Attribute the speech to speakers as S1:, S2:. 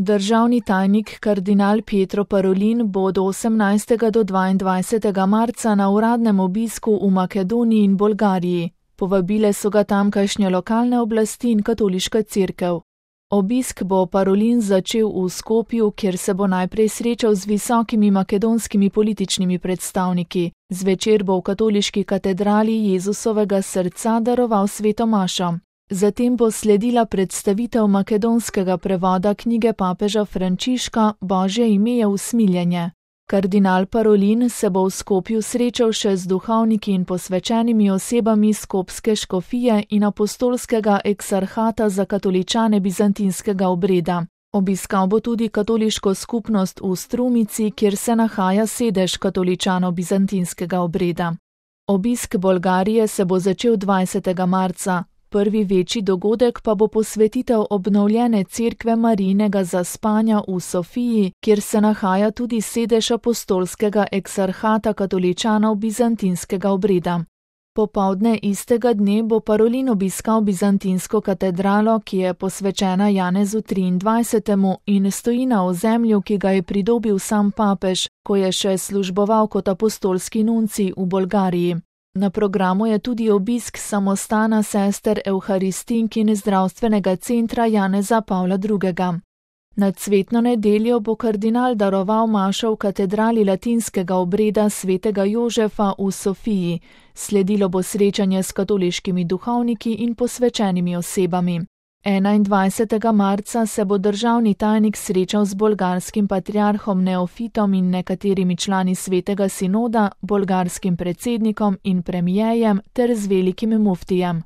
S1: Državni tajnik kardinal Pietro Parolin bo od 18. do 22. marca na uradnem obisku v Makedoniji in Bolgariji. Povabile so ga tamkajšnje lokalne oblasti in katoliška cerkev. Obisk bo Parolin začel v Skopju, kjer se bo najprej srečal z visokimi makedonskimi političnimi predstavniki. Zvečer bo v katoliški katedrali Jezusovega srca daroval sveto mašo. Zatem bo sledila predstavitev makedonskega prevoda knjige papeža Frančiška Božje ime je usmiljenje. Kardinal Parolin se bo v Skopju srečal še z duhovniki in posvečenimi osebami skopske škofije in apostolskega eksarhata za katoličane bizantinskega obreda. Obiskal bo tudi katoliško skupnost v Strumici, kjer se nahaja sedež katoličanov bizantinskega obreda. Obisk Bolgarije se bo začel 20. marca. Prvi večji dogodek pa bo posvetitev obnovljene cerkve Marijinega zaspanja v Sofiji, kjer se nahaja tudi sedež apostolskega eksarhata katoličanov bizantinskega obreda. Popoldne istega dne bo Parolin obiskal bizantinsko katedralo, ki je posvečena Janezu 23. in stoji na ozemlju, ki ga je pridobil sam papež, ko je še služboval kot apostolski nuncij v Bolgariji. Na programu je tudi obisk samostana sester Evharistink in zdravstvenega centra Janeza Pavla II. Na cvetno nedeljo bo kardinal daroval mašo v katedrali latinskega obreda svetega Jožefa v Sofiji. Sledilo bo srečanje s katoliškimi duhovniki in posvečenimi osebami. 21. marca se bo državni tajnik srečal z bolgarskim patriarhom Neofitom in nekaterimi člani svetega sinoda, bolgarskim predsednikom in premijejem ter z velikim muftijem.